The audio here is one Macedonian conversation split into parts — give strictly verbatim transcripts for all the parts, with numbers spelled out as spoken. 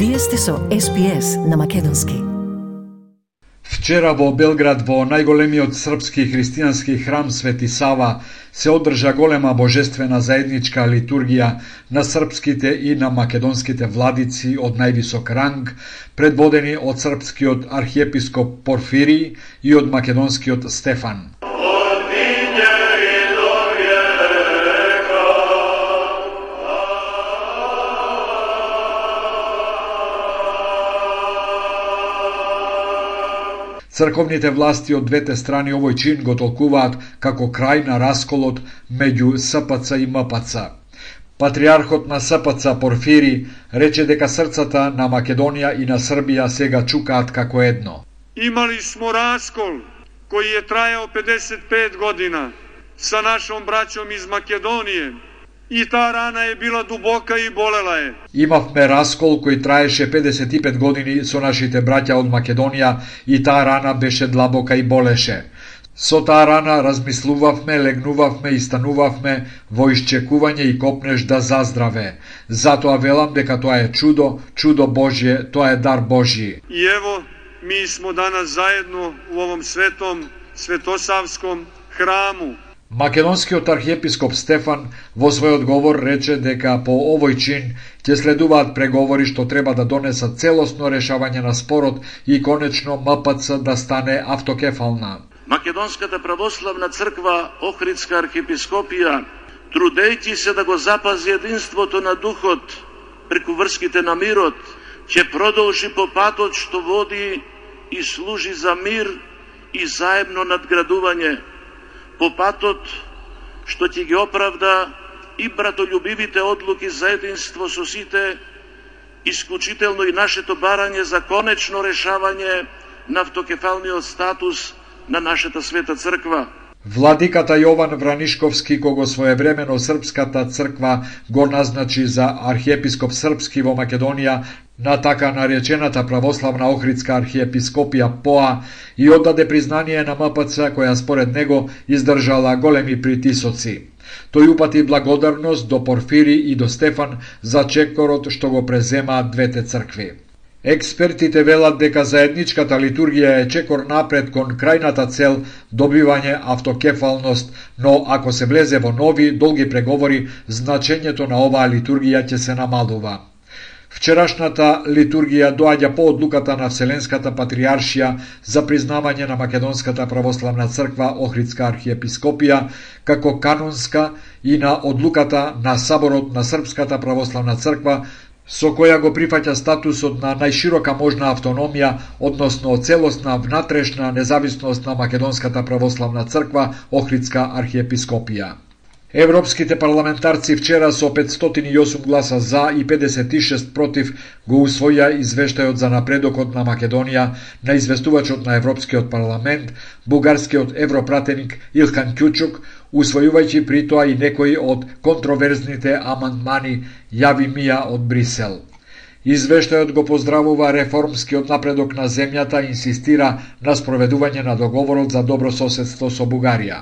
Вие сте со Ес Би Ес на македонски. Вчера во Белград, во најголемиот српски христијански храм Свети Сава, се одржа голема божествена заедничка литургија на српските и на македонските владици од највисок ранг, предводени од српскиот архиепископ Порфирий и од македонскиот Стефан. Црковните власти од двете страни овој чин го толкуваат како крај на расколот меѓу Ес Пе Це и Ем Пе Це. Патриархот на Ес Пе Це Порфирий рече дека срцата на Македонија и на Србија сега чукаат како едно. Имали смо раскол кој е трајал педесет и пет година со нашом браќом из Македонија. И таа рана е била дубока и болела е. Имавме раскол кој траеше педесет и пет години со нашите браќа од Македонија и таа рана беше длабока и болеше. Со таа рана размислувавме, легнувавме и станувавме во исчекување и копнеш да заздраве. Затоа велам дека тоа е чудо, чудо Божје, тоа е дар Божји. И ево, ми смо данас заедно во овом светом, светосавском храму. Македонскиот архиепископ Стефан во својот говор рече дека по овој чин ќе следуваат преговори што треба да донесат целосно решавање на спорот и конечно Ем Пе Це да стане автокефална. Македонската православна црква Охридска архиепископија, трудејќи се да го запази единството на духот преку врските на мирот, ќе продолжи по патот што води и служи за мир и заедно надградување, по патот што ќе ги оправда и братолюбивите одлуки за единство со сите, исклучително и нашето барање за конечно решавање на автокефалниот статус на нашата света црква. Владиката Јован Вранишковски, кого своевремено Српската црква го назначи за архиепископ српски во Македонија на така наречената православна Охридска архиепископија П О А и оддаде признание на Ем Пе Це која според него издржала големи притисоци. Тој упати благодарност до Порфирий и до Стефан за чекорот што го преземаат двете цркви. Експертите велат дека заедничката литургија е чекор напред кон крајната цел добивање автокефалност, но ако се влезе во нови, долги преговори, значењето на оваа литургија ќе се намалува. Вчерашната литургија доаѓа по одлуката на Вселенската патриаршија за признавање на Македонската православна црква Охридска архиепископија како канонска и на одлуката на Саборот на Српската православна црква со која го прифаќа статусот на најширока можна автономија, односно целосна внатрешна независност на Македонската православна црква Охридска архиепископија. Европските парламентарци вчера со петстотини и осум гласа за и педесет и шест против го усвоја извештајот за напредокот на Македонија на известувачот на Европскиот парламент, бугарскиот европратеник Илхан Кјучук, усвојувајќи при тоа и некои од контроверзните амандмани јави Мија од Брисел. Извештајот го поздравува реформскиот напредок на земјата и инсистира на спроведување на договорот за добро соседство со Бугарија.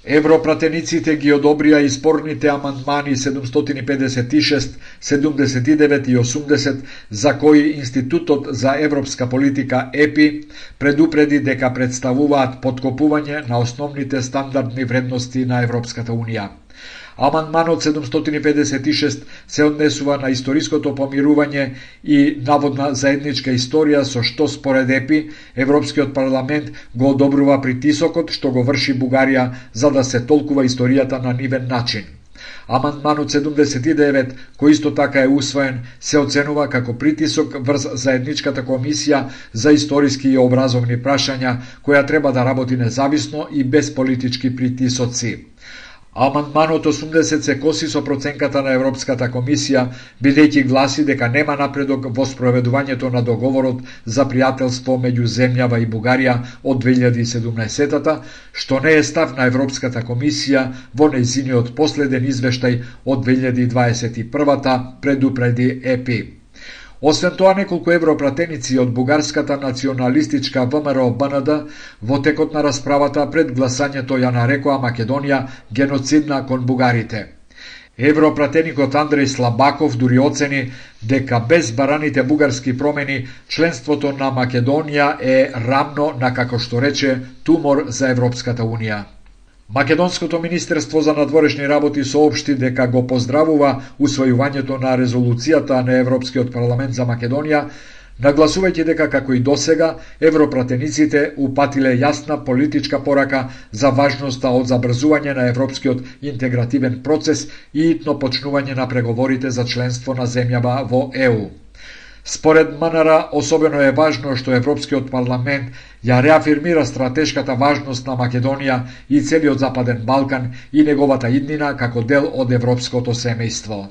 Европратениците ги одобрија и спорните амандмани седумстотини и педесет и шест, седумдесет и девет и осумдесет, за кои Институтот за европска политика Е Пи И предупреди дека представуваат поткопување на основните стандардни вредности на Европската Унија. Амандманот седумстотини и педесет и шест се однесува на историското помирување и наводна заедничка историја со што според Е Пи И Европскиот парламент го одобрува притисокот што го врши Бугарија за да се толкува историјата на нивен начин. Амандманот седумдесет и девет, кој исто така е усвоен, се оценува како притисок врз заедничката комисија за историски и образовни прашања, која треба да работи независно и без политички притисоци. Амандманот осумдесет се коси со проценката на Европската комисија, бидејќи гласи дека нема напредок во спроведувањето на договорот за пријателство меѓу земјава и Бугарија од две илјади и седумнаесета, што не е став на Европската комисија во нејзиниот последен извештај од две илјади дваесет и прва, предупреди Е Пи И. Освен тоа, неколку европратеници од бугарската националистичка Вэ Ем Р О Б Н Д во текот на расправата пред гласањето ја нарекоа Македонија геноцидна кон бугарите. Европратеникот Андреј Слабаков дури оцени дека без бараните бугарски промени членството на Македонија е рамно на, како што рече, тумор за Европската Унија. Македонското министерство за надворешни работи соопшти дека го поздравува усвојувањето на резолуцијата на Европскиот парламент за Македонија, нагласувајќи дека како и досега европратениците упатиле јасна политичка порака за важноста од забрзување на европскиот интегративен процес и итно почнување на преговорите за членство на земјава во Е У. Според МНР, особено е важно што Европскиот парламент ја реафирмира стратешката важност на Македонија и целиот Западен Балкан и неговата иднина како дел од европското семејство.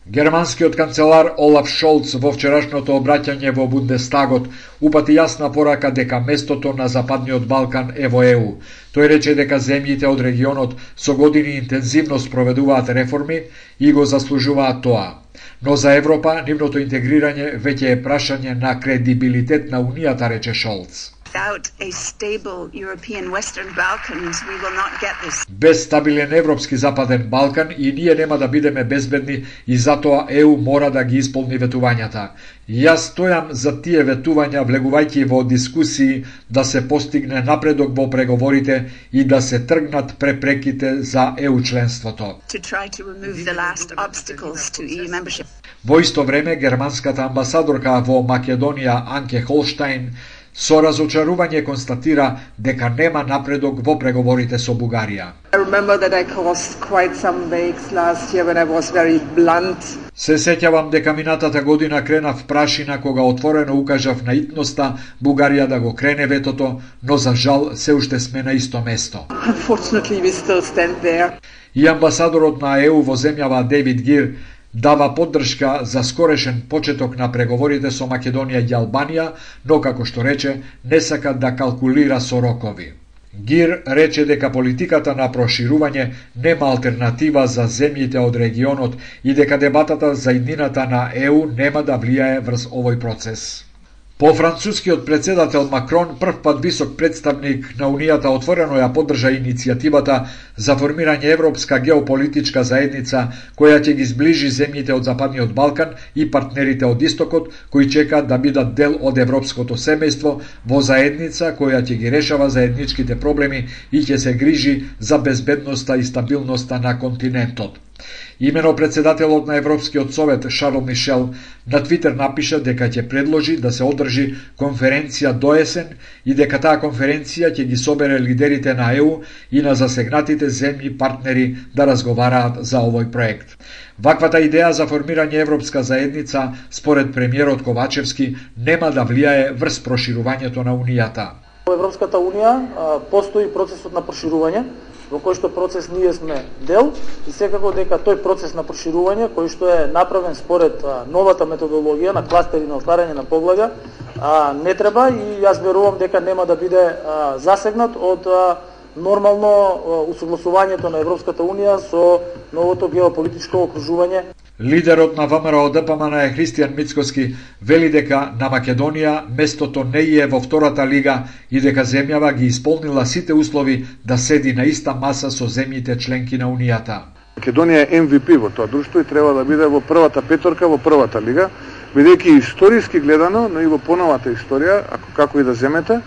Германскиот канцелар Олаф Шолц во вчерашното обраќање во Бундестагот упати јасна порака дека местото на Западниот Балкан е во Е У. Тој рече дека земјите од регионот со години интензивно спроведуваат реформи и го заслужуваат тоа. Но за Европа нивното интегрирање веќе е прашање на кредибилитет на Унијата, рече Шолц. Without a stable European Western Balkans, we will not get this. Без стабилен европски Западен Балкан и ние нема да бидеме безбедни и затоа Е У мора да ги исполни ветувањата. Јас стојам за тие ветувања влегувајќи во дискусии да се постигне напредок во преговорите и да се тргнат препреките за Е У членството. To try to remove the last obstacles to E U membership. Во исто време, германската амбасадорка во Македонија Анке Холштајн со разочарување констатира дека нема напредок во преговорите со Бугарија. I remember that I caused quite some waves last year when I was very blunt. Се сеќавам дека минатата година кренав прашина кога отворено укажав на итноста Бугарија да го крене ветото, но за жал се уште сме на исто место. Unfortunately, we still stand there. И амбасадорот на Е У во земјава Дейвид Гир дава поддршка за скорешен почеток на преговорите со Македонија и Албанија, но како што рече, не сака да калкулира со рокови. Гир рече дека политиката на проширување нема алтернатива за земјите од регионот и дека дебатата за иднината на Е У нема да влијае врз овој процес. По францускиот председател Макрон, прв пат висок представник на Унијата отворено ја поддржа иницијативата за формирање Европска геополитичка заедница која ќе ги зближи земјите од Западниот Балкан и партнерите од Истокот кои чекаат да бидат дел од европското семејство во заедница која ќе ги решава заедничките проблеми и ќе се грижи за безбедноста и стабилноста на континентот. Имено председателот на Европскиот совет Шарл Мишел на Твитер напиша дека ќе предложи да се одржи конференција до есен и дека таа конференција ќе ги собере лидерите на Е У и на засегнатите земји партнери да разговараат за овој проект. Ваквата идеја за формирање Европска заедница, според премиерот Ковачевски, нема да влијае врз проширувањето на Унијата. Во Европската Унија постои процесот на проширување, во кој што процес ние сме дел и секако дека тој процес на проширување, кој што е направен според новата методологија на кластери на отварање на поглавја, не треба и јас верувам дека нема да биде засегнат од нормално усогласувањето на Европската Унија со новото геополитичко окружување. Лидерот на ВМРО Д П М Н е Христијан Мицкоски вели дека на Македонија местото не е во втората лига и дека земјава ги исполнила сите услови да седи на иста маса со земјите членки на Унијата. Македонија е Ем Ви Пи во тоа друштво и треба да биде во првата петорка во првата лига, бидејќи историски гледано, но и во поновата историја, ако како и да земете,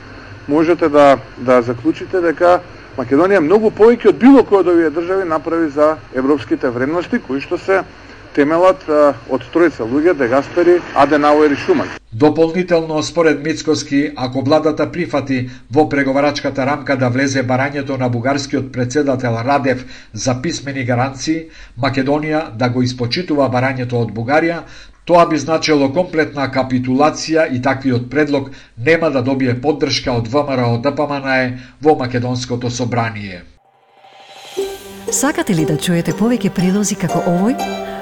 можете да да заклучите дека Македонија многу повеќе од било кој од овие држави направи за европските вредности кои што се темелат од тројца луѓе, Де Гаспери, Аденауер и Шуман. Дополнително, според Мицкоски, ако владата прифати во преговарачката рамка да влезе барањето на бугарскиот председател Радев за писмени гаранции, Македонија да го испочитува барањето од Бугарија, тоа би значило комплетна капитулација и таквиот предлог нема да добие поддршка од ВМРО Д П М Н Е во Македонското собрание. Сакате ли да чуете повеќе прилози како овој?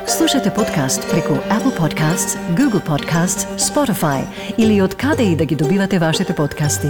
Слушате подкаст преку Apple Podcasts, Google Podcasts, Spotify или од каде и да ги добивате вашите подкасти.